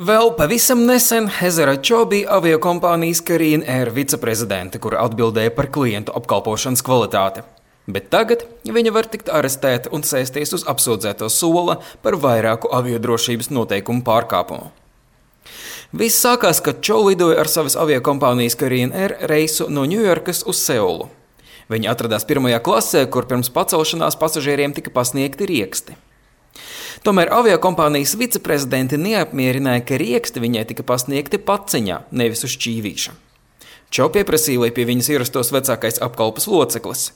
Vēl pavisam nesen Hezara Čo bija aviokompānijas Korean Air viceprezidente, kura atbildēja par klientu apkalpošanas kvalitāti. Bet tagad viņa var tikt arestēta un sēsties uz apsūdzēto sola par vairāku aviodrošības noteikumu pārkāpumu. Viss sākās, kad Čo lidoja ar savas aviokompānijas Korean Air reisu no Ņujorkas uz Seulu. Viņa atradās pirmajā klasē, kur pirms pacelšanās pasažieriem tika pasniegti rieksti. Tomēr aviokompānijas viceprezidenti neapmierināja, ka rieksti viņai tika pasniegti paciņā, nevis uz šķīvīša. Čo pieprasīja, lai pie viņas ierastos vecākais apkalpes loceklis.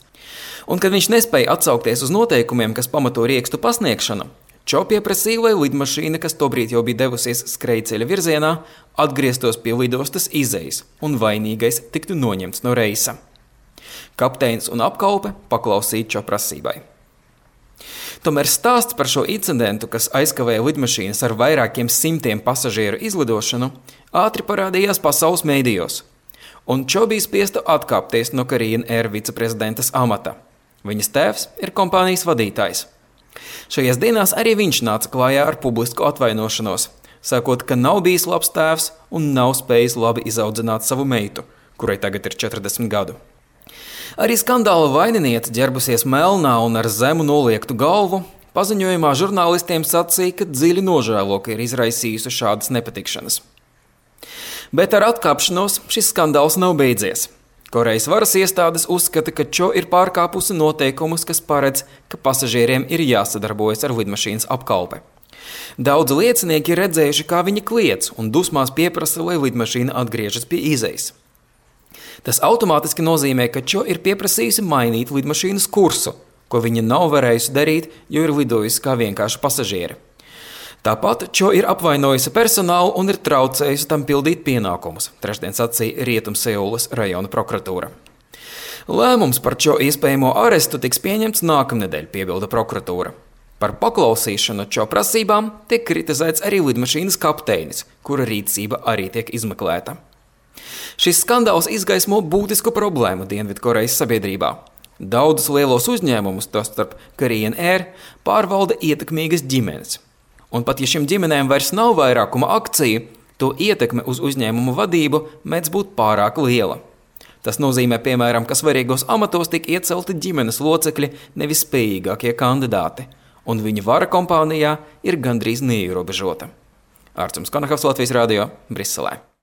Un, kad viņš nespēja atsaukties uz noteikumiem, kas pamato riekstu pasniegšanu, Čo pieprasīja, lai lidmašīna, kas tobrīd jau bija devusies skrejceļa virzienā, atgrieztos pie lidostas izejas un vainīgais tiktu noņemts no reisa. Kapteinis un apkalpe paklausīja Čo prasībai. Tomēr stāsts par šo incidentu, kas aizkavēja lidmašīnas ar vairākiem simtiem pasažieru izlidošanu, ātri parādījās pasaules mēdījos, un Čo bija spiesta atkāpties no Korean Air viceprezidentas amata. Viņas tēvs ir kompānijas vadītājs. Šajās dienās arī viņš nāca klājā ar publisku atvainošanos, sakot, ka nav bijis labs tēvs un nav spējis labi izaudzināt savu meitu, kurai tagad ir 40 gadu. Arī skandāla vaininiece, ģērbusies melnā un ar zemu noliektu galvu, paziņojumā žurnālistiem sacīja, ka dziļi nožēlo, ka ir izraisījusi šādas nepatikšanas. Bet ar atkāpšanos šis skandāls nav beidzies. Korejas varas iestādes uzskata, ka Čo ir pārkāpusi noteikumus, kas paredz, ka pasažieriem ir jāsadarbojas ar lidmašīnas apkalpe. Daudzi liecinieki ir redzējuši, kā viņa kliedz un dusmās pieprasa, lai lidmašīna atgriežas pie izejas. Tas automātiski nozīmē, ka Čo ir pieprasījusi mainīt lidmašīnas kursu, ko viņa nav varējusi darīt, jo ir lidojusi kā vienkārši pasažieri. Tāpat Čo ir apvainojusi personālu un ir traucējusi tam pildīt pienākumus, trešdien sacīja Rietumseulas rajona prokuratūra. Lēmums par Čo iespējamo arestu tiks pieņemts nākamnedēļ, piebilda prokuratūra. Par paklausīšanu Čo prasībām tiek kritizēts arī lidmašīnas kapteinis, kura rīcība arī tiek izmeklēta. Šis skandāls izgaismo būtisku problēmu Dienvidkorejas sabiedrībā. Daudzus lielos uzņēmumus, tostarp Korean Air, pārvalda ietekmīgas ģimenes. Un pat ja šim ģimenēm vairs nav vairākuma akciju, to ietekme uz uzņēmumu vadību mēdz būt pārāk liela. Tas nozīmē, piemēram, ka svarīgos amatos tiek iecelti ģimenes locekļi, nevis spējīgākie kandidāti, un viņa vara kompānijā ir gandrīz neierobežota. Ārtsums Konahavs, Latvijas radio, Briselē.